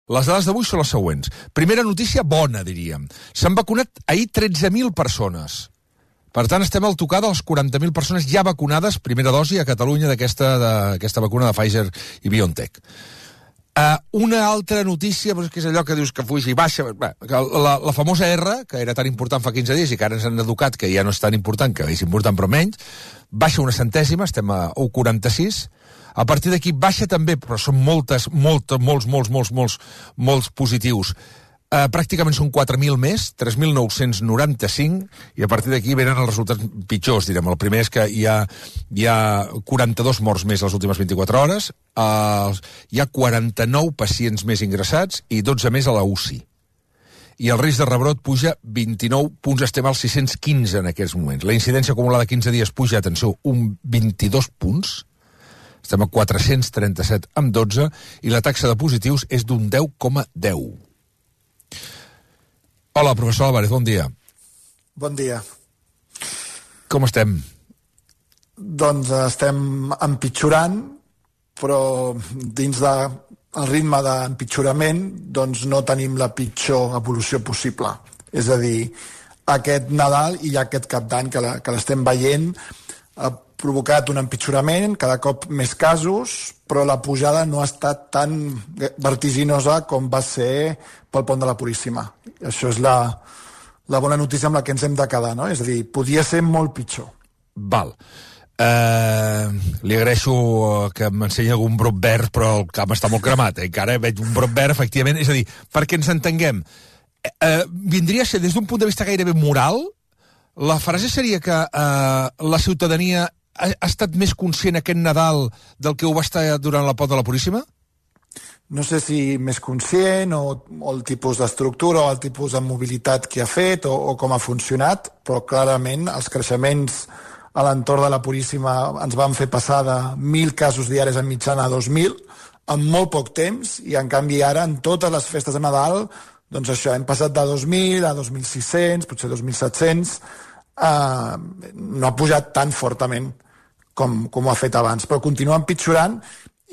Les dades d'avui són les següents. Primera notícia bona, diríem. S'han vacunat ahir 13.000 persones. Per tant, estem al tocar de les 40.000 persones ja vacunades, primera dosi a Catalunya d'aquesta vacuna de Pfizer i BioNTech. Una altra notícia, que és allò que dius que fuix i baixa, la famosa R, que era tan important fa 15 dies i que ara ens han educat que ja no és tan important, que és important però menys, baixa una centèsima, estem a 1,46. A partir d'aquí baixa també, però són molts positius. Pràcticament són 4.000 més, 3.995, i a partir d'aquí venen els resultats pitjors, direm. El primer és que hi ha 42 morts més les últimes 24 hores, hi ha 49 pacients més ingressats i 12 més a la UCI. I el risc de rebrot puja 29 punts, estem als 615 en aquests moments. La incidència acumulada de 15 dies puja, atenció, un 22 punts, estem a 437 amb 12, i la taxa de positius és d'un 10,10. Hola, professor Álvarez, bon dia. Bon dia. Com estem? Doncs estem empitjorant, però dins del ritme d'empitjorament doncs no tenim la pitjor evolució possible. És a dir, aquest Nadal i aquest cap d'any que l'estem veient ha provocat un empitjorament, cada cop més casos, però la pujada no ha estat tan vertiginosa com va ser pel pont de la Puríssima. Això és la bona notícia amb la que ens hem de quedar, no? És a dir, podia ser molt pitjor. Val. Li agraeixo que m'ensenyi algun brot verd, però el camp està molt cremat. Encara veig un brot verd, efectivament. És a dir, perquè ens entenguem, vindria a ser, des d'un punt de vista gairebé moral, la frase seria que la ciutadania ha estat més conscient aquest Nadal del que ho va estar durant la pont de la Puríssima? No sé si més conscient o el tipus d'estructura o el tipus de mobilitat que ha fet o com ha funcionat, però clarament els creixements a l'entorn de la Puríssima ens van fer passar de 1.000 casos diaris en mitjana a 2.000 en molt poc temps, i en canvi ara en totes les festes de Nadal doncs això, hem passat de 2.000 a 2.600, potser 2.700, no ha pujat tan fortament com ho ha fet abans, però continua empitjorant.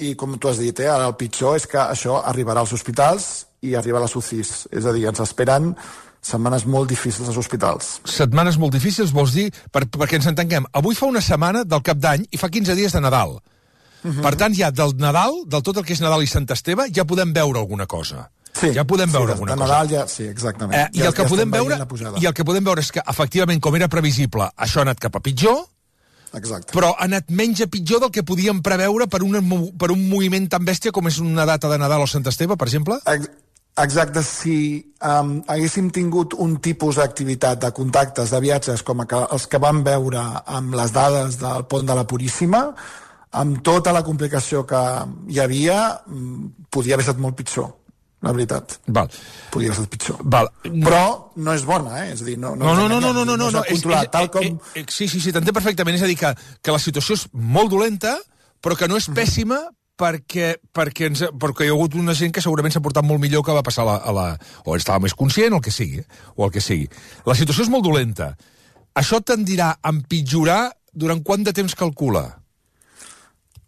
I com tu has dit, ara el pitjor és que això arribarà als hospitals i arriba a les UCIs. És a dir, ens esperen setmanes molt difícils als hospitals. Setmanes molt difícils, vols dir? Perquè ens entenguem, avui fa una setmana del Cap d'Any i fa 15 dies de Nadal. Per tant, ja del Nadal, del tot el que és Nadal i Sant Esteve, ja podem veure alguna cosa. Sí, ja podem veure alguna cosa. Nadal ja, sí, exactament. I el que podem veure és que, efectivament, com era previsible, això ha anat cap a pitjor. Exacte. Però ha anat menys a pitjor del que podíem preveure per un moviment tan bèstia com és una data de Nadal o Sant Esteve, per exemple? Exacte. Si haguéssim tingut un tipus d'activitat, de contactes, de viatges, com els que vam veure amb les dades del pont de la Puríssima, amb tota la complicació que hi havia, podia haver estat molt pitjor. La veritat. Val. Podria haver estat pitjor. Val. Però no és bona, És a dir, no s'ha controlat tal com... Sí, t'entenc perfectament. És a dir, que la situació és molt dolenta, però que no és pèssima perquè hi ha hagut una gent que segurament s'ha portat molt millor que va passar o estava més conscient, o el que sigui. La situació és molt dolenta. Això tendirà a empitjorar durant quant de temps calcula?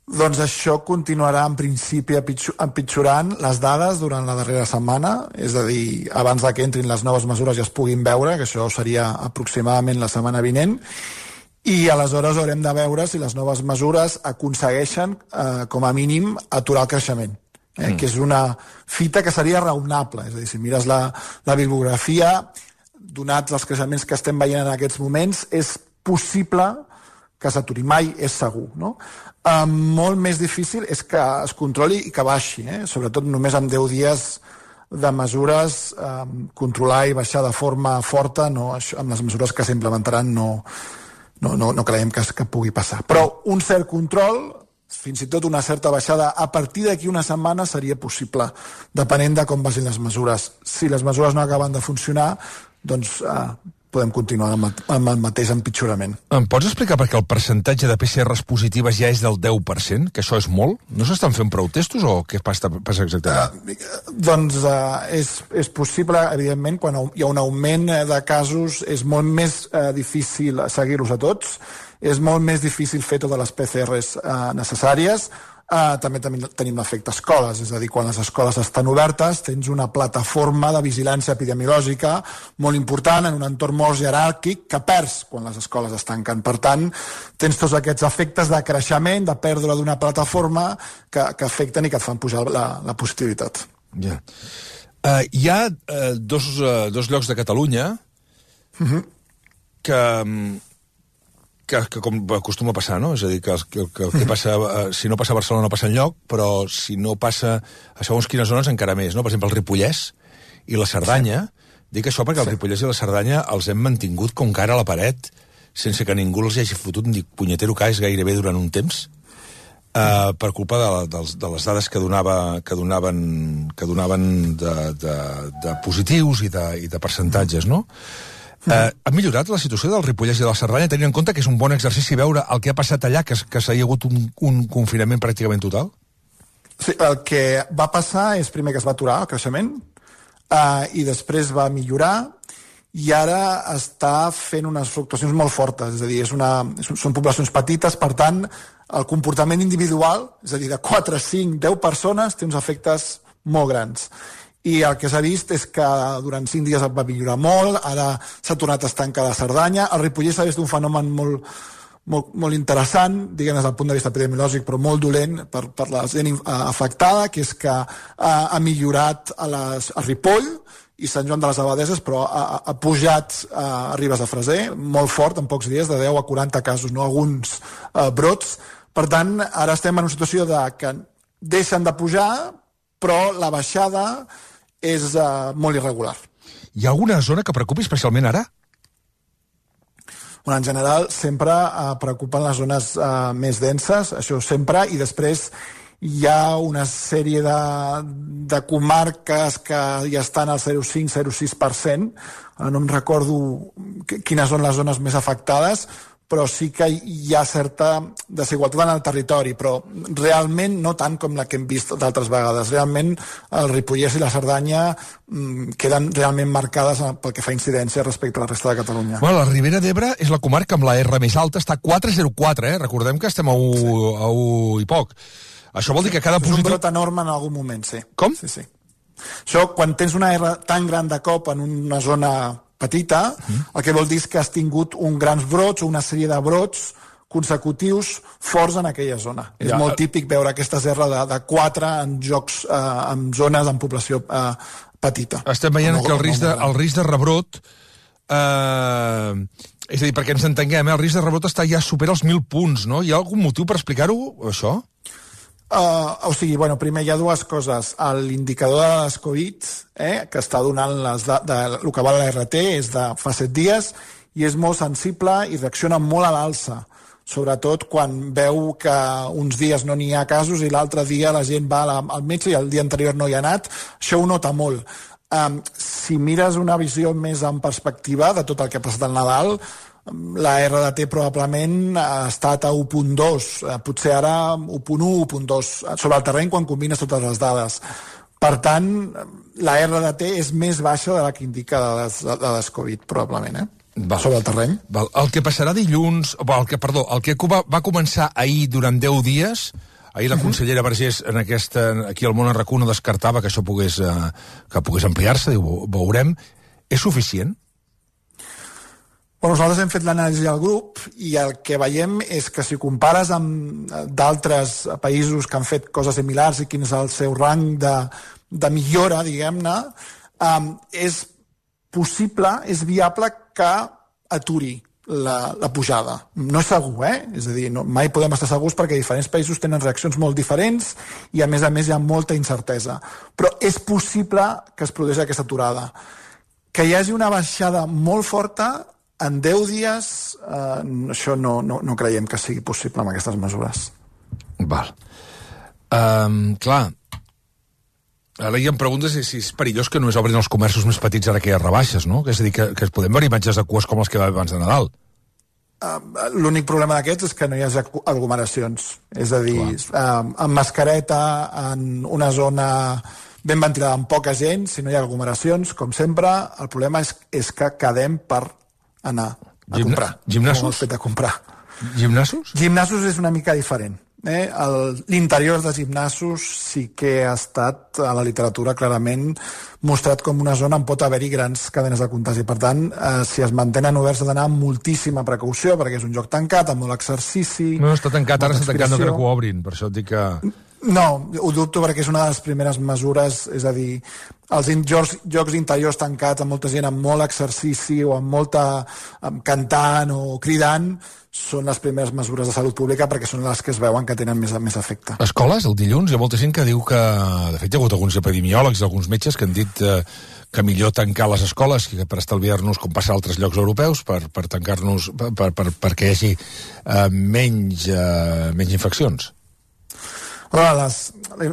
Doncs això continuarà en principi empitjorant les dades durant la darrera setmana, és a dir, abans que entrin les noves mesures i es puguin veure, que això seria aproximadament la setmana vinent, i aleshores haurem de veure si les noves mesures aconsegueixen, com a mínim, aturar el creixement, que és una fita que seria raonable. És a dir, si mires la bibliografia, donats els creixements que estem veient en aquests moments, és possible que s'aturi. Mai és segur, no? Molt més difícil és que es controli i que baixi, sobretot només amb 10 dies de mesures, controlar i baixar de forma forta, no, amb les mesures que s'implementaran no creiem que pugui passar. Però un cert control, fins i tot una certa baixada, a partir d'aquí una setmana seria possible, depenent de com vagin les mesures. Si les mesures no acaben de funcionar, doncs podem continuar amb el mateix empitjorament. Em pots explicar per què el percentatge de PCRs positives ja és del 10%? Que això és molt? No s'estan fent prou testos o què passa exactament? Doncs és possible, evidentment, quan hi ha un augment de casos és molt més difícil seguir-los a tots, és molt més difícil fer totes les PCRs necessàries, també tenim l'efecte escoles, és a dir, quan les escoles estan obertes tens una plataforma de vigilància epidemiològica molt important en un entorn molt jeràrquic que perds quan les escoles es tanquen. Per tant, tens tots aquests efectes de creixement, de pèrdua d'una plataforma que afecten i que et fan pujar la positivitat. Ja. Hi ha dos llocs de Catalunya que com acostuma a passar, no? És a dir, que passa, si no passa a Barcelona no passa enlloc, però si no passa a segons quines zones encara més, no? Per exemple, el Ripollès i la Cerdanya. Dic això perquè el Ripollès i la Cerdanya els hem mantingut com cara a la paret sense que ningú els hagi fotut ni punyetero cas gairebé durant un temps, per culpa de les dades que donaven de positius i de percentatges, no? Ha millorat la situació del Ripollès i de la Cerdanya, tenint en compte que és un bon exercici veure el que ha passat allà, que s'ha hagut un confinament pràcticament total? Sí, el que va passar és primer que es va aturar el creixement i després va millorar i ara està fent unes fluctuacions molt fortes, és a dir, són poblacions petites, per tant, el comportament individual, és a dir, de 4, 5, 10 persones, té uns efectes molt grans. I el que s'ha vist és que durant 5 dies va millorar molt, ara s'ha tornat a estancar la Cerdanya. El Ripollès ha vist un fenomen molt interessant, diguem des del punt de vista epidemiològic, però molt dolent per la gent afectada, que és que ha millorat a Ripoll i Sant Joan de les Abadeses, però ha pujat a Ribes de Freser, molt fort, en pocs dies, de 10 a 40 casos, no alguns brots. Per tant, ara estem en una situació que deixen de pujar, però la baixada és molt irregular. Hi ha alguna zona que preocupi especialment ara? En general, sempre preocupen les zones més denses, això sempre, i després hi ha una sèrie de comarques que ja estan al 0,5-0,6%. No em recordo quines són les zones més afectades, però sí que hi ha certa desigualtat en el territori, però realment no tant com la que hem vist d'altres vegades. Realment el Ripollès i la Cerdanya queden realment marcades pel que fa incidència respecte a la resta de Catalunya. Bueno, la Ribera d'Ebre és la comarca amb la R més alta, està a 4,04, Recordem que estem a 1 i poc. Això vol dir que cada positiu... És un brot enorme en algun moment, sí. Com? Sí. Això, quan tens una R tan gran de cop en una zona petita, el que vol dir és que has tingut un grans brots o una sèrie de brots consecutius forts en aquella zona. És molt típic veure aquestes R de 4 en zones amb població petita. Estem veient que el risc de rebrot, és a dir, perquè ens entenguem, el risc de rebrot ja supera els 1.000 punts, no? Hi ha algun motiu per explicar-ho, això? Primer hi ha dues coses. L'indicador de les Covid, que està donant el que val la RT, és de fa 7 dies i és molt sensible i reacciona molt a l'alça, sobretot quan veu que uns dies no n'hi ha casos i l'altre dia la gent va al metge i el dia anterior no hi ha anat. Això ho nota molt. Si mires una visió més en perspectiva de tot el que ha passat al Nadal, la RDT probablement ha estat a 1.2, potser ara 1.1, 1.2 sobre el terreny quan combines totes les dades. Per tant, la RDT és més baixa de la que indica de les Covid, probablement, sobre el terreny. El que passarà dilluns, el que va començar ahir durant 10 dies, ahir la consellera Vergés aquí al Món RAC1 no descartava que això pogués ampliar-se, diu, veurem, és suficient? Nosaltres hem fet l'anàlisi al grup i el que veiem és que si compares amb d'altres països que han fet coses similars i quin és el seu rang de millora, diguem-ne, és possible, és viable que aturi la pujada. No és segur, És a dir, mai podem estar segurs perquè diferents països tenen reaccions molt diferents i a més hi ha molta incertesa. Però és possible que es produeixi aquesta aturada. Que hi hagi una baixada molt forta en 10 dies, això no creiem que sigui possible amb aquestes mesures. Val. Clar, ara hi ha preguntes si és perillós que només obrin els comerços més petits ara que hi ha rebaixes, no? És a dir, que podem veure imatges de cues com les que va abans de Nadal. L'únic problema d'aquests és que no hi ha aglomeracions. És a dir, amb mascareta, en una zona ben ventilada amb poca gent, si no hi ha aglomeracions, com sempre, el problema és que quedem per anar a comprar. Gimnasos? A comprar. Gimnasos? Gimnasos és una mica diferent. L'interior de gimnasos sí que ha estat a la literatura clarament mostrat com una zona on pot haver-hi grans cadenes de contagi. Per tant, si es mantenen oberts ha d'anar amb moltíssima precaució, perquè és un lloc tancat, amb molt exercici... No, està tancat, ara està tancat, no crec que ho obrin, per això et dic que... No, ho dubto perquè és una de les primeres mesures, és a dir, els jocs interiors tancats amb molta gent amb molt exercici o amb molta cantant o cridant són les primeres mesures de salut pública perquè són les que es veuen que tenen més efecte. Escoles, el dilluns, hi ha molta gent que diu que... De fet, hi ha hagut alguns epidemiòlegs, alguns metges que han dit que millor tancar les escoles que per estalviar-nos, com passa a altres llocs europeus, per tancar-nos, perquè hi hagi menys infeccions. La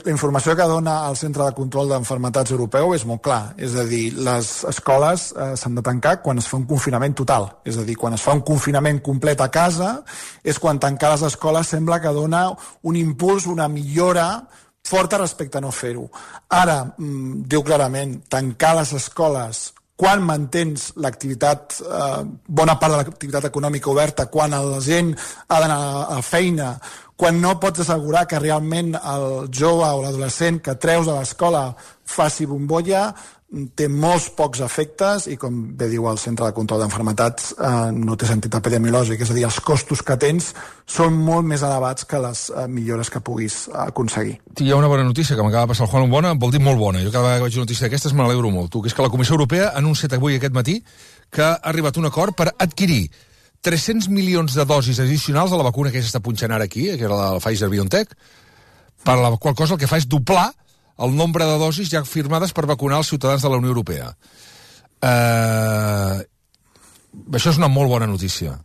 informació que dona el Centre de Control d'Enfermetats Europeu és molt clar, és a dir, les escoles s'han de tancar quan es fa un confinament total, és a dir, quan es fa un confinament complet a casa és quan tancar les escoles sembla que dona un impuls, una millora forta respecte a no fer-ho. Ara, diu clarament, tancar les escoles quan mantens l'activitat, bona part de l'activitat econòmica oberta, quan la gent ha d'anar a la feina, quan no pots assegurar que realment el jove o l'adolescent que treus de l'escola faci bombolla, té molts pocs efectes i, com bé diu el Centre de Control d'Enfermetats, no té sentit epidemiològic, és a dir, els costos que tens són molt més elevats que les millores que puguis aconseguir. Hi ha una bona notícia que m'acaba de passar el Juan, bona, vol dir molt bona. Jo cada vegada que veig una notícia d'aquestes me n'alegro molt, que és que la Comissió Europea ha anunciat avui aquest matí que ha arribat a un acord per adquirir 300 milions de dosis addicionals de la vacuna que s'està punxant ara aquí, que era la Pfizer-BioNTech, per la qual cosa el que fa és doblar el nombre de dosis ja firmades per vacunar els ciutadans de la Unió Europea. Això és una molt bona notícia.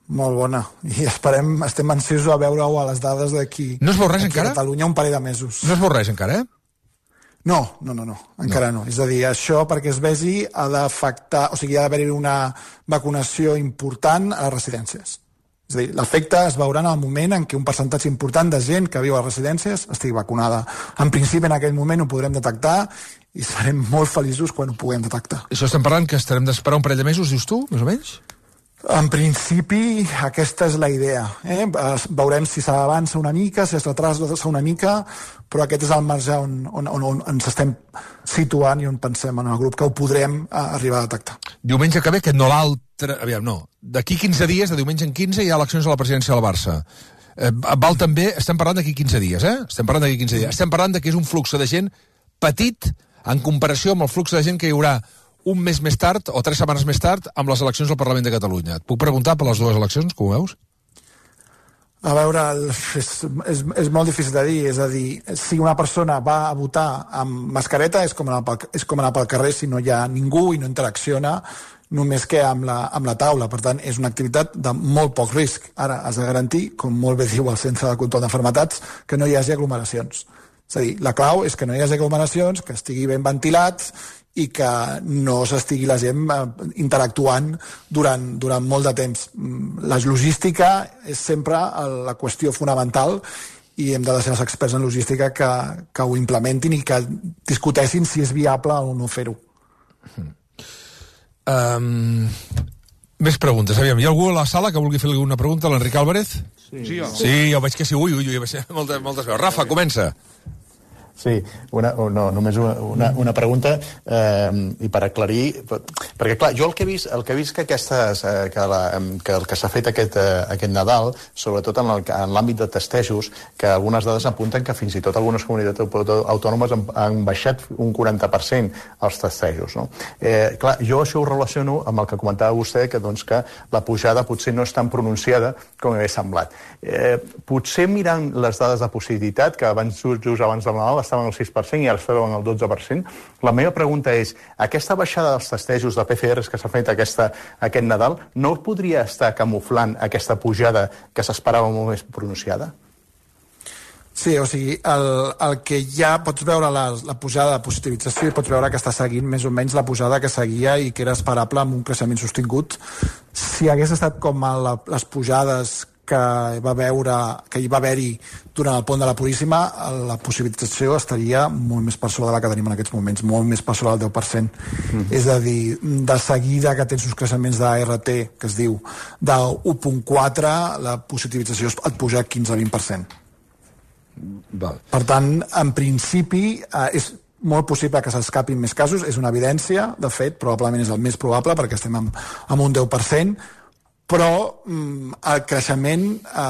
Molt bona. I estem ansiosos a veure-ho a les dades d'aquí. No es veu res encara? A Catalunya un parell de mesos. No es veu res encara, No, encara no. És a dir, això perquè es vegi ha d'afectar, o sigui, ha d'haver-hi una vacunació important a les residències. És a dir, l'efecte es veurà en el moment en què un percentatge important de gent que viu a les residències estigui vacunada. En principi, en aquell moment ho podrem detectar i serem molt feliços quan ho puguem detectar. Això estem parlant que estarem d'esperar un parell de mesos, dius tu, més o menys? En principi, aquesta és la idea. Veurem si s'avança una mica, si es retrasa una mica, però aquest és el marge on ens estem situant i on pensem en el grup que ho podrem arribar a detectar. Diumenge que ve, que no l'altre... Aviam, no. D'aquí 15 dies, de diumenge en 15, hi ha eleccions a la presidència del Barça. Val també... Estem parlant d'aquí 15 dies, Estem parlant d'aquí 15 dies. Estem parlant que és un flux de gent petit en comparació amb el flux de gent que hi haurà un mes més tard o 3 setmanes més tard amb les eleccions al Parlament de Catalunya. Et puc preguntar per les dues eleccions, com ho veus? A veure, és molt difícil de dir, és a dir, si una persona va a votar amb mascareta és com anar pel carrer si no hi ha ningú i no interacciona només que amb la taula. Per tant, és una activitat de molt poc risc. Ara, has de garantir, com molt bé diu el Centre de Control d'Enfermetats, que no hi hagi aglomeracions. És a dir, la clau és que no hi hagi aglomeracions, que estigui ben ventilat i que no s'estigui la gent interactuant durant molt de temps. La logística és sempre la qüestió fonamental i hem de deixar els experts en logística que ho implementin i que discuteixin si és viable o no fer-ho. Més preguntes. Aviam, hi ha algú a la sala que vulgui fer alguna pregunta? L'Enric Álvarez? Sí, jo. Sí, jo veig que sí. Ui, moltes veus. Rafa, comença. Sí, només una pregunta i per aclarir, perquè clar, jo el que he vist que el que s'ha fet aquest Nadal, sobretot en l'àmbit de testejos, que algunes dades apunten que fins i tot algunes comunitats autònomes han baixat un 40% els testejos, no? Clar, jo això ho relaciono amb el que comentava vostè, que la pujada potser no és tan pronunciada com hauria semblat. Potser mirant les dades de positivitat, que just abans del Nadal estaven al 6% i ara es veuen al 12%. La meva pregunta és, aquesta baixada dels testejos de PCRs que s'ha fet aquest Nadal no podria estar camuflant aquesta pujada que s'esperava molt més pronunciada? Sí, o sigui, el que ja pots veure la pujada de positivització i pots veure que està seguint més o menys la pujada que seguia i que era esperable amb un creixement sostingut. Si hagués estat com les pujades que hi va haver-hi durant el pont de la Puríssima, la possibilització estaria molt més per sobre de la que tenim en aquests moments, molt més per sobre del 10%. És a dir, de seguida que tens uns creixements d'ART, que es diu, de 1.4, la positivització et puja a 15-20%. Val. Per tant, en principi, és molt possible que s'escapin més casos, és una evidència, de fet, probablement és el més probable, perquè estem amb un 10%, però el creixement,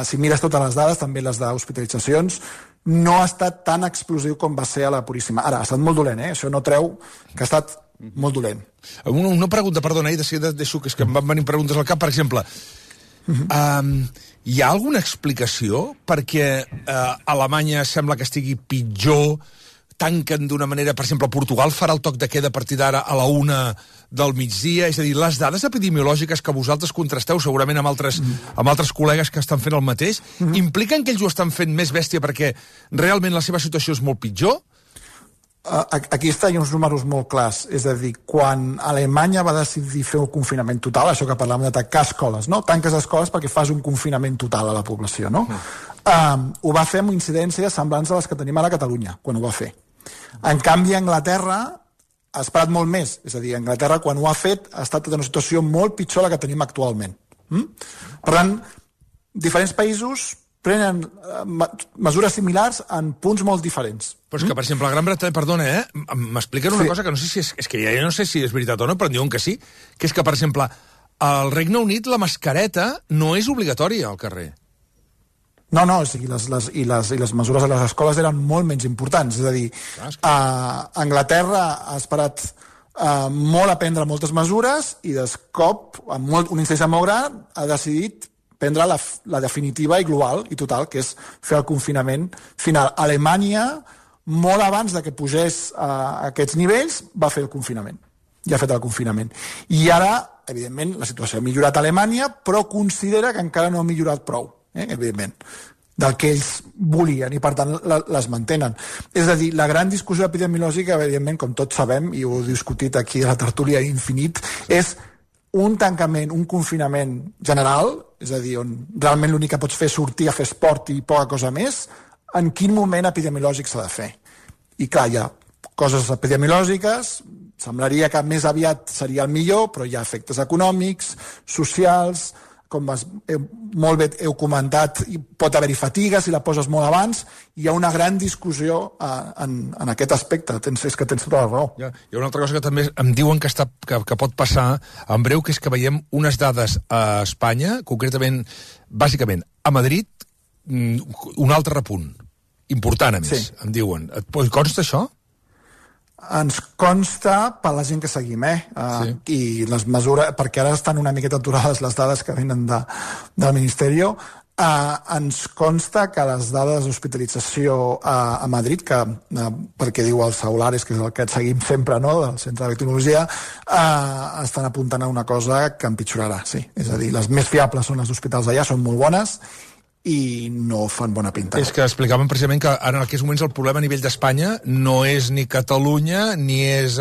si mires totes les dades, també les d'hospitalitzacions, no ha estat tan explosiu com va ser a la Puríssima. Ara, ha estat molt dolent, això no treu que ha estat molt dolent. Una pregunta, perdona, deixo que és que em van venir preguntes al cap, per exemple, hi ha alguna explicació perquè Alemanya sembla que estigui pitjor, tanquen d'una manera, per exemple, Portugal farà el toc de queda a partir d'ara a la 1 del migdia, és a dir, les dades epidemiològiques que vosaltres contrasteu segurament amb altres col·legues que estan fent el mateix, impliquen que ells ho estan fent més bèstia perquè realment la seva situació és molt pitjor? Aquí hi ha uns números molt clars, és a dir, quan Alemanya va decidir fer un confinament total, això que parlàvem de tancar escoles, no? Tanques escoles perquè fas un confinament total a la població, no? Ho va fer amb incidències semblants a les que tenim ara a Catalunya, quan ho va fer. En canvi, Anglaterra ha esperat molt més, és a dir, Anglaterra quan ho ha fet ha estat en una situació molt pitjor la que tenim actualment. Per tant, diferents països prenen mesures similars en punts molt diferents. Però és que, per exemple, a Gran Bretanya, perdona, m'expliquen una cosa que no sé si és que ja no sé si és veritat o no, però em diuen que sí, que és que, per exemple, al Regne Unit la mascareta no és obligatòria al carrer. No, o sigui, les mesures a les escoles eren molt menys importants. És a dir, Anglaterra ha esperat molt a prendre moltes mesures i de cop, amb una incidència molt gran, ha decidit prendre la definitiva i global i total, que és fer el confinament final. Alemanya, molt abans de que pugés a aquests nivells, va fer el confinament. Ja ha fet el confinament. I ara, evidentment, la situació ha millorat a Alemanya, però considera que encara no ha millorat prou, evidentment, del que ells volien, i per tant les mantenen. És a dir, la gran discussió epidemiològica, evidentment, com tots sabem, i ho he discutit aquí a la tertúlia infinit, és un tancament, un confinament general, és a dir, on realment l'únic que pots fer és sortir a fer esport i poca cosa més, en quin moment epidemiològic s'ha de fer. I clar, hi ha coses epidemiològiques, semblaria que més aviat seria el millor, però hi ha efectes econòmics, socials, com molt bé heu comentat, pot haver-hi fatiga si la poses molt abans, hi ha una gran discussió en aquest aspecte, és que tens tota la raó. Hi ha una altra cosa que també em diuen que pot passar en breu, que és que veiem unes dades a Espanya, concretament, bàsicament, a Madrid, un altre repunt, important a més, em diuen. Et consta això? Ens consta per la gent que seguim, i les mesures, perquè ara estan una miqueta aturades les dades que venen del Ministeri, ens consta que les dades d'hospitalització a Madrid, perquè diu el Saulares, que és el que seguim sempre, no?, del Centre de Tecnologia, estan apuntant a una cosa que empitjorarà, sí. És a dir, les més fiables són les hospitals d'allà, són molt bones, i no fan bona pinta. És que explicaven precisament que ara en aquests moments el problema a nivell d'Espanya no és ni Catalunya ni és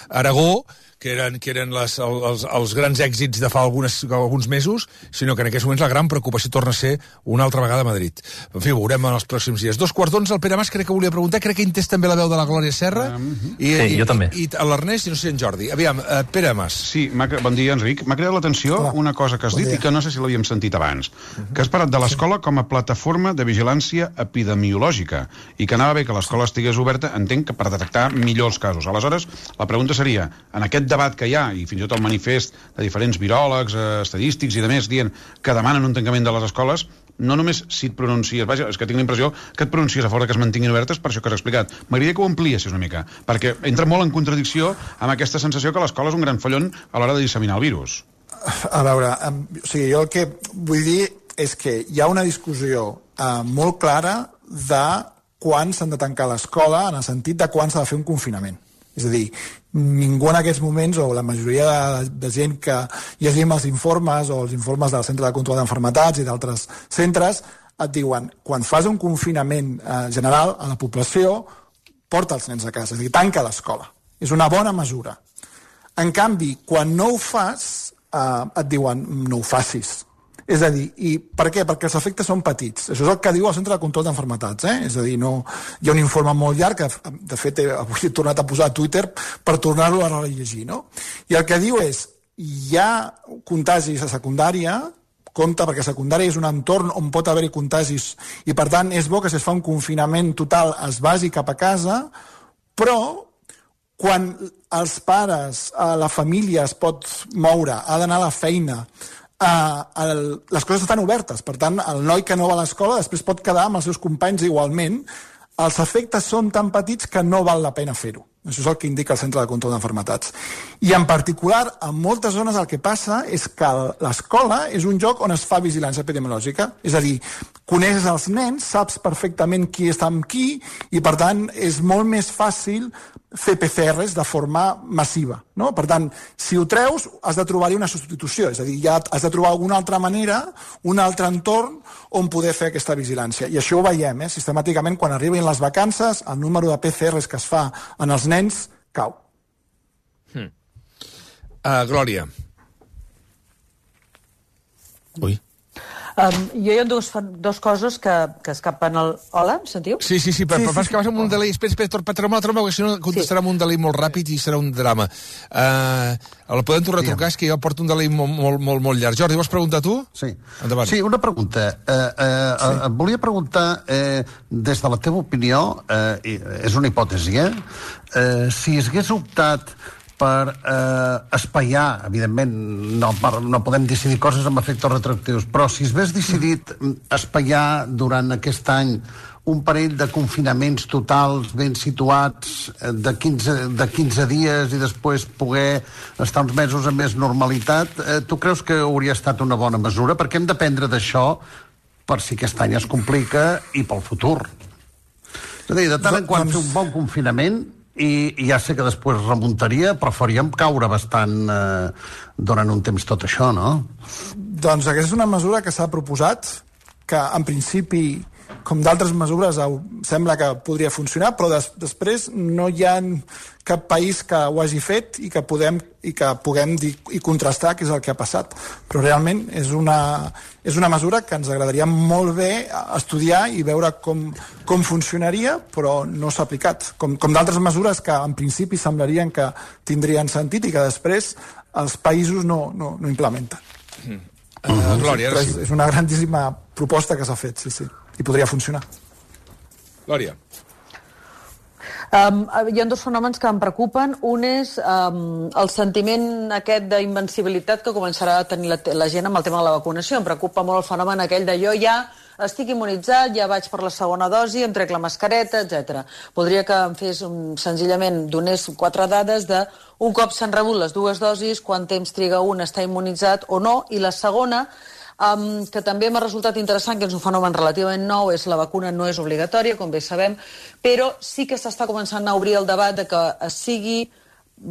Aragó, que eren els grans èxits de fa alguns mesos, sinó que en aquests moments la gran preocupació torna a ser una altra vegada a Madrid. En fi, ho veurem en els pròxims dies. 2:15, el Pere Mas crec que volia preguntar, crec que entès també la veu de la Glòria Serra, sí, jo també. I l'Ernest i no sé en Jordi. Aviam, Pere Mas. Sí, bon dia, Enric. M'ha cridat l'atenció una cosa que has dit i que no sé si l'havíem sentit abans, que has parlat de l'escola com a plataforma de vigilància epidemiològica i que anava bé que l'escola estigués oberta, entenc que per detectar millor els casos. Aleshores, la pregunta seria, en aquest debat que hi ha, i fins i tot el manifest de diferents viròlegs, estadístics i demés, dient que demanen un tancament de les escoles, no només si et pronuncies, vaja, és que tinc la impressió que et pronuncies a favor que es mantinguin obertes per això que has explicat. M'agradaria que ho ampliessis una mica, perquè entra molt en contradicció amb aquesta sensació que l'escola és un gran follon a l'hora de disseminar el virus. A veure, o sigui, jo el que vull dir és que hi ha una discussió molt clara de quan s'han de tancar l'escola, en el sentit de quan s'ha de fer un confinament. És a dir, ningú en aquests moments, o la majoria de gent que llegim els informes o els informes del Centre de Control d'Enfermetats i d'altres centres, et diuen, quan fas un confinament general a la població, porta els nens a casa, és a dir, tanca l'escola. És una bona mesura. En canvi, quan no ho fas, et diuen, no ho facis. És a dir, i per què? Perquè els efectes són petits. Això és el que diu el Centre de Control d'Enfermetats, És a dir, no, hi ha un informe molt llarg que, de fet, avui he tornat a posar a Twitter per tornar-lo a rellegir, no? I el que diu és, hi ha contagis a secundària, compte, perquè secundària és un entorn on pot haver-hi contagis, i per tant és bo que si es fa un confinament total es vagi cap a casa, però quan els pares, la família es pot moure, ha d'anar a la feina, les coses estan obertes, per tant el noi que no va a l'escola després pot quedar amb els seus companys igualment, els efectes són tan petits que no val la pena fer-ho. Això és el que indica el Centre de Control d'Enfermetats. I en particular, en moltes zones el que passa és que l'escola és un lloc on es fa vigilància epidemiològica. És a dir, coneixes els nens, saps perfectament qui està amb qui, i per tant és molt més fàcil fer PCRs de forma massiva, no? Per tant, si ho treus, has de trobar-hi una substitució, és a dir, ja has de trobar alguna altra manera, un altre entorn on poder fer aquesta vigilància. I això ho veiem, sistemàticament, quan arriben les vacances, el número de PCRs que es fa en els nens cau. Glòria. Ui. Jo hi ha dos coses que escapen al... Hola, em sentiu? Sí, però és que vas amb un delay. Espera, troba'm, perquè si no contestarà amb un delay molt ràpid i serà un drama. El podem tornar a trucar, és que jo porto un delay molt llarg. Jordi, vols preguntar tu? Sí. Endavant. Sí, una pregunta. Volia preguntar, des de la teva opinió, és una hipòtesi, si hagués optat per espaiar, evidentment no podem decidir coses amb efectes retroactius, però si hagués decidit espaiar durant aquest any un parell de confinaments totals ben situats de 15 dies i després poder estar uns mesos amb més normalitat, tu creus que hauria estat una bona mesura? Perquè hem d'aprendre d'això per si aquest any es complica i pel futur. És a dir, de tant en quant fer un bon confinament, i ja sé que després remuntaria, però faríem caure bastant durant un temps tot això, no? Doncs aquesta és una mesura que s'ha proposat, que en principi, com d'altres mesures, sembla que podria funcionar, però després no hi ha cap país que ho hagi fet i que puguem dir i contrastar què és el que ha passat. Però realment és una mesura que ens agradaria molt bé estudiar i veure com funcionaria, però no s'ha aplicat. Com d'altres mesures que en principi semblarien que tindrien sentit i que després els països no implementen. Glòria, ara sí. És una grandíssima proposta que s'ha fet, sí. I podria funcionar. Glòria. Hi ha dos fenòmens que em preocupen. Un és el sentiment aquest d'invencibilitat que començarà a tenir la gent amb el tema de la vacunació. Em preocupa molt el fenomen aquell de jo ja estic immunitzat, ja vaig per la segona dosi, em trec la mascareta, etc. Voldria que em fes senzillament donés 4 dades de un cop s'han rebut les 2 dosis, quant temps triga un a estar immunitzat o no, i la segona, que també m'ha resultat interessant, que és un fenomen relativament nou, és la vacuna no és obligatòria, com bé sabem, però sí que s'està començant a obrir el debat de que sigui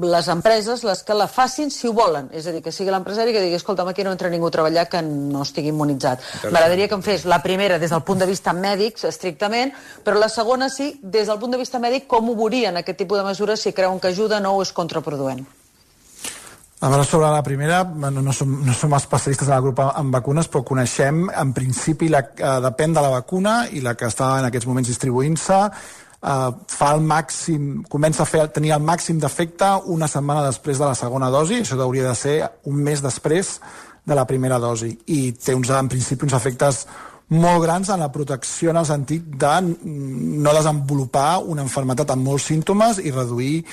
les empreses les que la facin si ho volen, és a dir, que sigui l'empresari que digui, escolta'm, aquí no entra ningú a treballar que no estigui immunitzat. M'agradaria que em fes la primera des del punt de vista mèdic, estrictament, però la segona sí, des del punt de vista mèdic, com ho veurien aquest tipus de mesures, si creuen que ajuda o és contraproduent. A veure, sobre la primera, no som especialistes en el grup en vacunes, però coneixem, en principi, depèn de la vacuna i la que està en aquests moments distribuint-se, fa el màxim, comença a tenir el màxim d'efecte una setmana després de la segona dosi, això hauria de ser un mes després de la primera dosi, i té en principi uns efectes molt grans en la protecció en el sentit de no desenvolupar una malaltia amb molts símptomes i reduir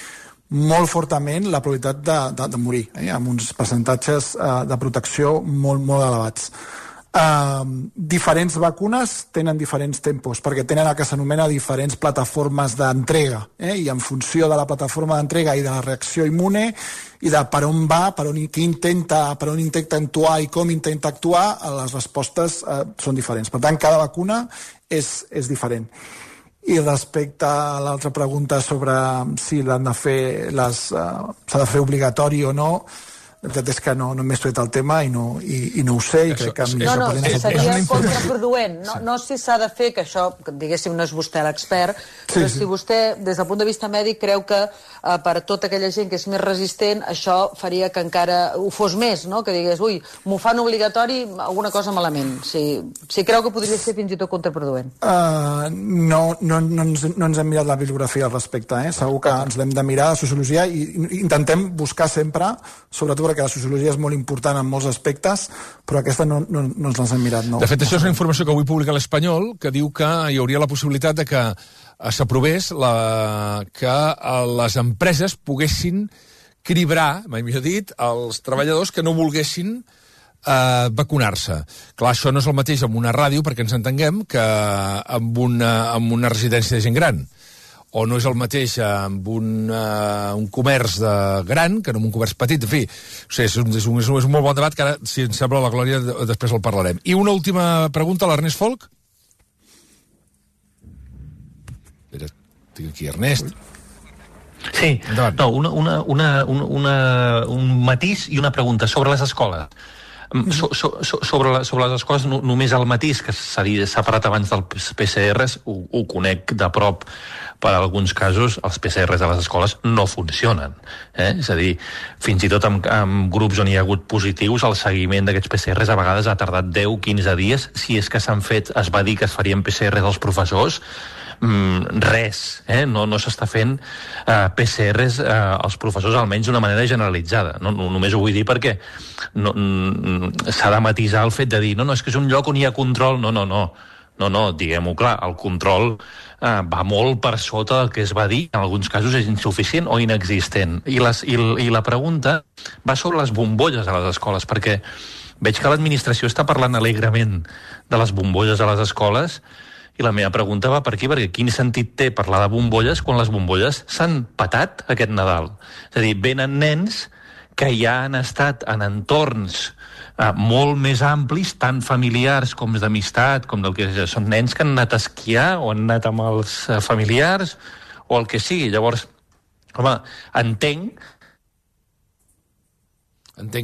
molt fortament la probabilitat de morir, amb uns percentatges de protecció molt elevats. Diferents vacunes tenen diferents tempos, perquè tenen el que s'anomena diferents plataformes d'entrega, i en funció de la plataforma d'entrega i de la reacció immune i de per on va, per on intenta actuar i com intenta actuar, les respostes són diferents. Per tant, cada vacuna és diferent. I respecte a l'altra pregunta sobre si s'ha de fer obligatori o no, la veritat és que no m'he estudiat el tema i no ho sé, i crec que... Seria contraproduent. No si s'ha de fer, que això, diguéssim, no és vostè l'expert, però si vostè, des del punt de vista mèdic, creu que per tota aquella gent que és més resistent, això faria que encara ho fos més, no? Que digués, ui, m'ho fan obligatori, alguna cosa malament. Si creu que podria ser fins i tot contraproduent. No ens hem mirat la bibliografia al respecte, segur que ens l'hem de mirar a sociologia i intentem buscar sempre, sobretot crec que la sociologia és molt important en molts aspectes, però aquesta no ens l'hem mirat. No. De fet, això és una informació que avui publica l'Espanyol, que diu que hi hauria la possibilitat de que s'aprovés que les empreses poguessin cribrar, mai millor dit, els treballadors que no volguessin vacunar-se. Clar, això no és el mateix amb una ràdio, perquè ens entenguem, que amb una residència de gent gran. O no és el mateix amb un comerç gran que amb un comerç petit. En fi, és un molt bon debat que ara, si ens sembla la Glòria, després el parlarem. I una última pregunta a l'Ernest Folk. Tinc aquí Ernest. Sí, no, un matís i una pregunta sobre les escoles. Sobre les escoles, només el matís, que s'ha parlat abans dels PCRs, ho conec de prop. Per alguns casos, els PCRs de les escoles no funcionen. És a dir, fins i tot en grups on hi ha hagut positius, el seguiment d'aquests PCRs a vegades ha tardat 10-15 dies. Si és que es va dir que es farien PCRs als professors, res, no s'està fent PCRs als professors, almenys d'una manera generalitzada. Només ho vull dir perquè s'ha de matisar el fet de dir no, és que és un lloc on hi ha control. No, diguem-ho clar, el control va molt per sota del que es va dir, en alguns casos és insuficient o inexistent. I la pregunta va sobre les bombolles a les escoles, perquè veig que l'administració està parlant alegrement de les bombolles a les escoles, i la meva pregunta va per aquí, perquè quin sentit té parlar de bombolles quan les bombolles s'han petat aquest Nadal? És a dir, venen nens que ja han estat en entorns molt més amplis, tant familiars com d'amistat, com del que són nens que han anat a esquiar o han anat amb els familiars o el que sigui. Llavors, home, entenc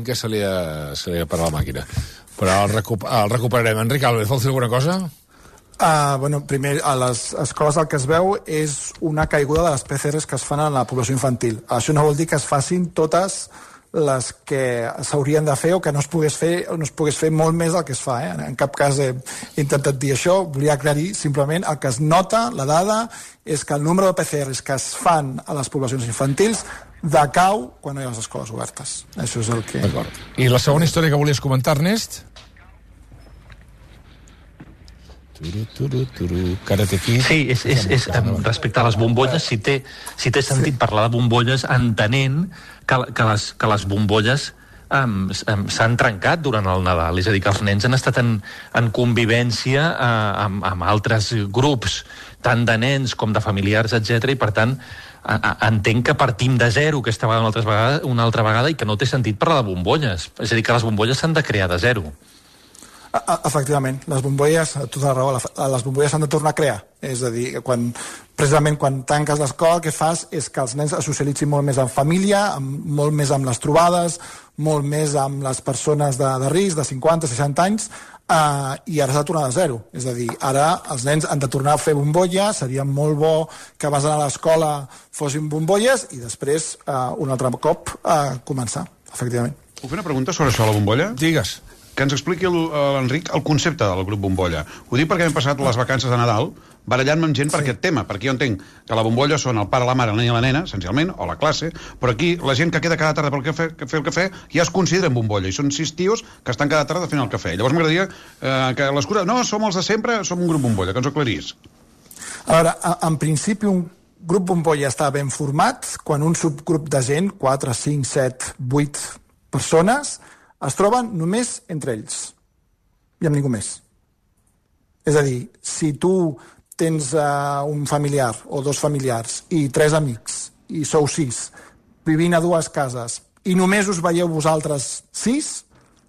que se li ha parat la màquina, però el recuperarem. Enric Álvarez, vols dir alguna cosa? Primer, a les escoles el que es veu és una caiguda de les PCRs que es fan a la població infantil. Això no vol dir que es facin totes les que s'haurien de fer o que no es pogués fer molt més del que es fa. En cap cas he intentat dir això, volia aclarir simplement el que es nota, la dada, és que el nombre de PCRs que es fan a les poblacions infantils decau quan no hi ha les escoles obertes. Això és el que... D'acord. I la segona història que volies comentar, Ernest? Karate Kid. Sí, és respecte a les bombolles, si té sentit parlar de bombolles entenent que les bombolles s'han trencat durant el Nadal, és a dir, que els nens han estat en convivència amb altres grups, tant de nens com de familiars, etc. I per tant entenc que partim de zero aquesta vegada una altra vegada i que no té sentit parlar de bombolles, és a dir, que les bombolles s'han de crear de zero. Efectivament, les bombolles, tota la raó, les bombolles s'han de tornar a crear. És a dir, precisament quan tanques l'escola, el que fas és que els nens es socialitzin molt més en família, molt més amb les trobades, molt més amb les persones de risc, de 50, 60 anys, i ara s'ha de tornar de zero. És a dir, ara els nens han de tornar a fer bombolles, seria molt bo que abans d'anar a l'escola fossin bombolles i després, un altre cop, començar, efectivament. Puc fer una pregunta sobre això de la bombolla? Digues. Que ens expliqui l'Enric el concepte del grup bombolla. Ho dic perquè hem passat les vacances de Nadal barallant-me amb gent per aquest tema, perquè jo entenc que la bombolla són el pare, la mare, el nen i la nena, essencialment, o la classe, però aquí la gent que queda cada tarda per fer el cafè ja es consideren bombolla, i són 6 tios que estan cada tarda fent el cafè. Llavors m'agradaria que l'escura... No, som els de sempre, som un grup bombolla, que ens ho aclarís. A veure, en principi un grup bombolla està ben format quan un subgrup de gent, 4, 5, 7, 8 persones, es troben només entre ells i amb ningú més. És a dir, si tu tens un familiar o 2 familiars i 3 amics i sou 6 vivint a 2 cases i només us veieu vosaltres 6,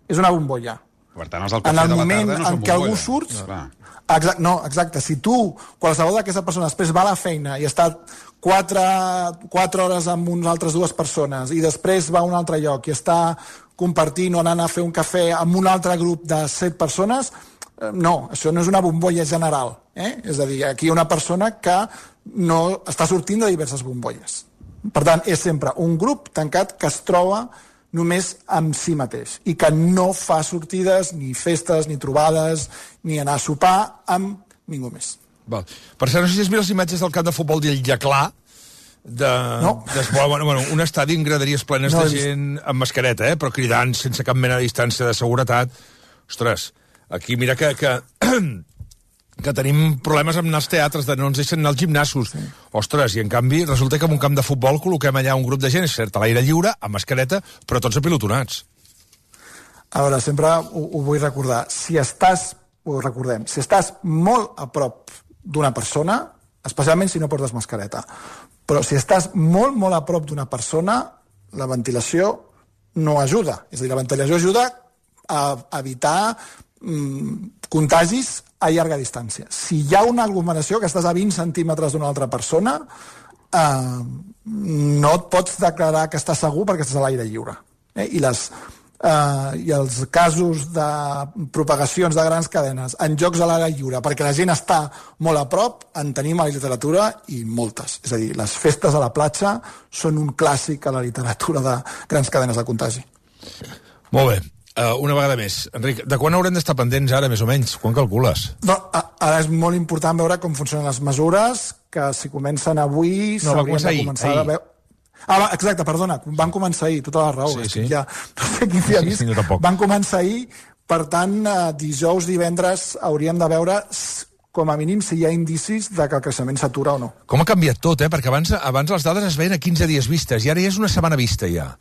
és una bombolla. Per tant, els del cafè de la tarda no són bombolla. En el moment en què algú surt... Exacte, si tu, qualsevol d'aquesta persona després va a la feina i està 4 hores amb unes altres 2 persones i després va a un altre lloc i està compartint o anant a fer un cafè amb un altre grup de 7 persones, no, això no és una bombolla general. És a dir, aquí hi ha una persona que no està sortint de diverses bombolles. Per tant, és sempre un grup tancat que es troba només amb si mateix i que no fa sortides, ni festes, ni trobades, ni anar a sopar amb ningú més. Val. Per cert, no sé si has vist les imatges del camp de futbol del Llaclà, un estadi amb graderies plenes de gent amb mascareta, però cridant sense cap mena de distància de seguretat. Ostres, aquí mira que tenim problemes amb anar als teatres, de no ens deixen anar als gimnasos. Ostres, i en canvi resulta que en un camp de futbol col·loquem allà un grup de gent, és cert, a l'aire lliure, amb mascareta, però tots apilotonats. A veure, sempre ho vull recordar. Si estàs molt a prop d'una persona, especialment si no portes mascareta, però si estàs molt, molt a prop d'una persona, la ventilació no ajuda. És a dir, la ventilació ajuda a evitar contagis a llarga distància. Si hi ha una aglomeració que estàs a 20 centímetres d'una altra persona, no et pots declarar que estàs segur perquè estàs a l'aire lliure. I els casos de propagacions de grans cadenes en llocs a l'aire lliure perquè la gent està molt a prop en tenim a la literatura i moltes. És a dir, les festes a la platja són un clàssic a la literatura de grans cadenes de contagi. Molt bé. Una vegada més. Enric, de quan haurem d'estar pendents ara, més o menys? Quan calcules? Ara és molt important veure com funcionen les mesures, que si comencen avui... No, va començar ahir. Exacte, perdona, van començar ahir, tota la raó. Sí. Ja, no sé qui s'hi ha vist. Van començar ahir, per tant, dijous, divendres, hauríem de veure com a mínim si hi ha indicis de que el creixement s'atura o no. Com ha canviat tot, perquè abans les dades es veien a 15 dies vistes, i ara ja és una setmana vista, ja.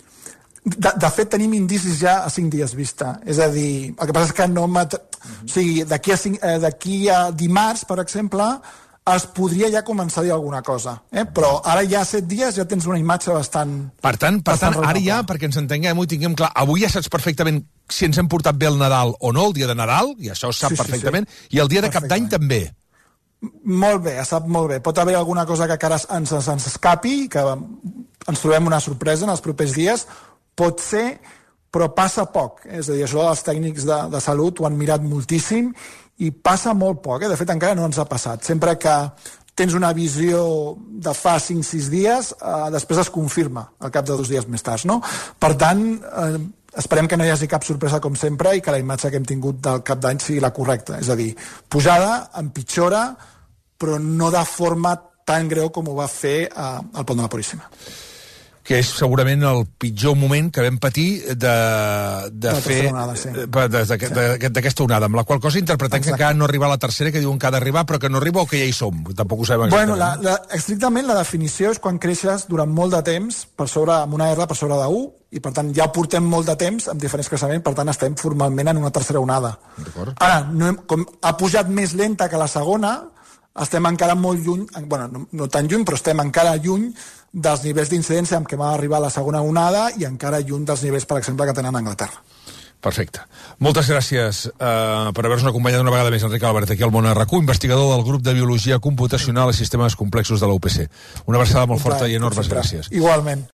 De fet, tenim indicis ja a 5 dies vista. És a dir, el que passa és que no... O sigui, d'aquí a dimarts, per exemple, es podria ja començar a dir alguna cosa. Però ara ja a 7 dies ja tens una imatge bastant... Per tant, ara ja, perquè ens entenguem i tinguem clar, avui ja saps perfectament si ens hem portat bé el Nadal o no, el dia de Nadal, i això es sap perfectament, i el dia de Cap d'Any també. Molt bé, es sap molt bé. Pot haver alguna cosa que encara ens escapi, que ens trobem una sorpresa en els propers dies. Pot ser, però passa poc. És a dir, això els tècnics de salut ho han mirat moltíssim i passa molt poc. De fet, encara no ens ha passat. Sempre que tens una visió de fa 5-6 dies, després es confirma al cap de 2 dies més tard, no? Per tant, esperem que no hi hagi cap sorpresa com sempre i que la imatge que hem tingut del Cap d'Any sigui la correcta. És a dir, pujada, empitjora, però no de forma tan greu com ho va fer al Pont de la Puríssima. Que és segurament el pitjor moment que vam patir d'aquesta onada, amb la qual cosa interpretem que encara no arriba a la tercera, que diuen que ha d'arribar, però que no arriba o que ja hi som. Tampoc ho sabem exactament. Bueno, estrictament la definició és quan creixes durant molt de temps amb una R per sobre de 1, i per tant ja portem molt de temps amb diferents creixements, per tant estem formalment en una tercera onada. Ara, com ha pujat més lenta que la segona, estem encara molt lluny, bueno, no tan lluny, però estem encara lluny dels nivells d'incidència amb què va arribar la segona onada i encara lluny dels nivells, per exemple, que tenen a Anglaterra. Perfecte. Moltes gràcies per haver-nos acompanyat una vegada més, Enric Albert, aquí al Món RQ, investigador del grup de Biologia Computacional i Sistemes Complexos de la UPC. Una abraçada molt forta i enormes gràcies. Igualment.